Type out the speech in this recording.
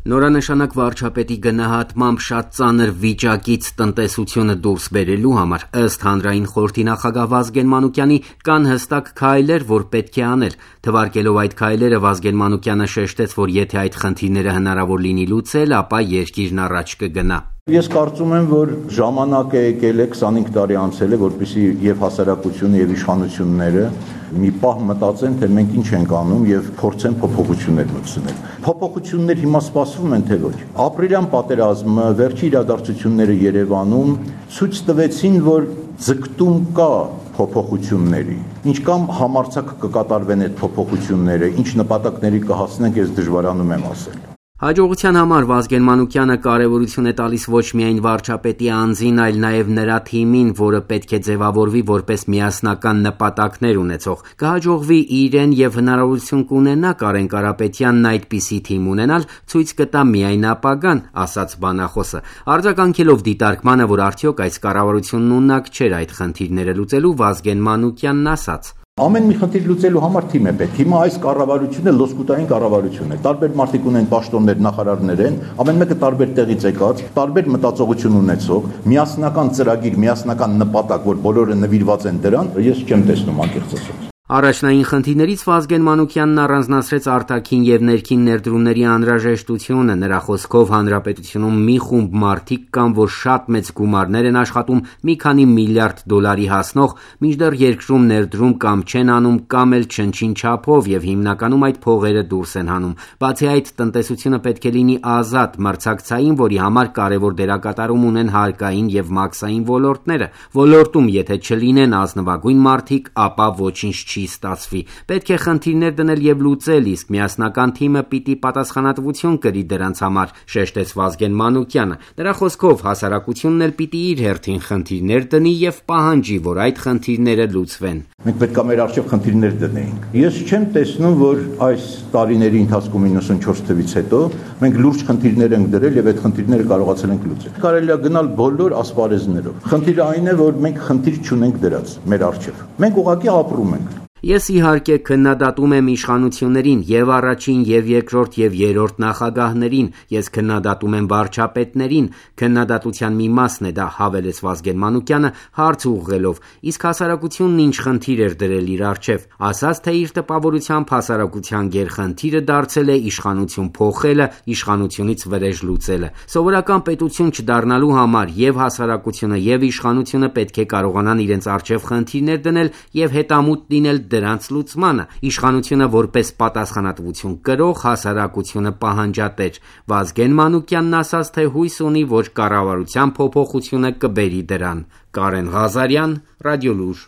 Նորանշանակ վարչապետի գնահատմամբ շատ ծանր վիճակից տնտեսությունը դուրս բերելու համար ըստ հանրային խորհրդի նախագահ Վազգեն Մանուկյանի կան հստակ քայլեր, որ պետք է անել։ Թվարկելով այդ քայլերը Վազգեն Մանուկյանը շեշտեց, որ եթե այդ խնդիրները հնարավոր լինի լուծել, ապա երկիրն առաջ կգնա։ Ես կարծում եմ, որ ժամանակ է եկել է 25 տարի անցել է, որպեսզի եւ հասարակությունը եւ իշխանությունները մի պահ մտածեն, թե մենք ինչ ենք անում եւ փորձեն փոփոխություններ մտցնել։ Փոփոխություններ հիմա սպասվում են, թե ոչ։ Ապրիլյան պատերազմը, վերջի իրադարձությունները Երևանում ցույց տվեցին, որ ձգտում կա փոփոխությունների։ Ինչ կամ համարձակ կկատարվեն այդ փոփոխությունները, ինչ նպատակների կհասնենք, ես դժվարանում եմ ասել։ Հաջողության համար Վազգեն Մանուկյանը կարևորություն է տալիս ոչ միայն վարչապետի անձին, այլ նաև նրա թիմին, որը պետք է ձևավորվի որպես միասնական նպատակներ ունեցող։ Կհաջողվի իրեն եւ հնարավորություն կունենա Կարեն Կարապետյանն այդպիսի թիմ ունենալ, ցույց կտա միայն ապագան, ասաց բանախոսը։ Արձագանքելով դիտարկմանը, որ արդյոք այս կառավարությունն ունակ չէր այդ խնդիրները լուծելու, Վազգեն Մանուկյանն ասաց. Ամեն մի խնդիր լուծելու համար թիմ է պետք։ Հիմա այս կառավարությունը լոսկուտային կառավարություն է։ Տարբեր մարդիկ ունեն պաշտոններ, նախարարներ են, ամեն մեկը տարբեր տեղից եկած, տարբեր մտածողություն ունեցող, միասնական ծրագիր, միասնական նպատակ, որ բոլորը նվիրված են դրան, ես չեմ տեսնում անկեղծ ասած։ Առաջնային խնդիրներից Վազգեն Մանուկյանն առանձնացրեց արտաքին եւ ներքին ներդրումների անհրաժեշտությունը։ Նրա խոսքով հանրապետությունում մի խումբ մարդիկ կան, որ շատ մեծ գումարներ են աշխատում մի քանի միլիարդ դոլարի հասնող, մինչդեռ երկրում ներդրում կամ չեն անում, կամ էլ չնչին չափով եւ հիմնականում այդ փողերը դուրս են հանում։ Բացի այդ, տնտեսությունը պետք է լինի ազատ, մրցակցային, որի համար կարևոր դերակատարում ունեն հարկային եւ մաքսային ոլորտները։ Ոլորտում եթե չլինեն ազնվագույն մարդիկ, ապա ոչինչ չի ստացվի։ Պետք է խնդիրներ դնել եւ լուծել, իսկ միասնական թիմը պիտի պատասխանատվություն կրի դրանց համար, շեշտեց Վազգեն Մանուկյանը։ Նրա խոսքով հասարակությունն էլ պիտի իր հերթին խնդիրներ դնի եւ պահանջի, որ այդ խնդիրները լուծվեն։ Մենք պետք է մեր առջև խնդիրներ դնեինք։ Ես չեմ տեսնում, որ այս տարիների ընթացքում 94 թվից հետո մենք լուրջ խնդիրներ ենք դրել եւ այդ խնդիրները կարողացել ենք լուծել։ Կարելի է գնալ բոլոր ասպարեզներով։ Խնդիրը այն է, որ մենք խնդիր չունենք դրած մեր առջև։ Մենք ուղղակի ապրում ենք։ Ես իհարկե քննադատում եմ իշխանություններին եւ առաջին եւ երկրորդ եւ երրորդ նախագահներին, ես քննադատում եմ վարչապետներին, քննադատության մի մասն է դա, հավելեց Վազգեն Մանուկյանը հարց ուղղելով, իսկ հասարակությունն ինչ խնդիր էր դրել իր առջև, ասաց, թե իր տպավորությամբ հասարակության գերխնդիրը դարձել է իշխանություն փոխելը, իշխանությունից վրեժ լուծելը։ Սովորական պետություն չդառնալու համար եւ հասարակությունը եւ իշխանությունը պետք է կարողանան իրենց առջև խնդիրներ դնել եւ հետամուտ լինել դրանց լուծմանը, իշխանությունը որպես պատասխանատվություն կրող, հասարակությունը պահանջատեր։ Վազգեն Մանուկյանն ասաց, թե հույս ունի, որ կառավարության փոփոխությունը կբերի դրան։ Կարեն Ղազարյան, Ռադիոլուր։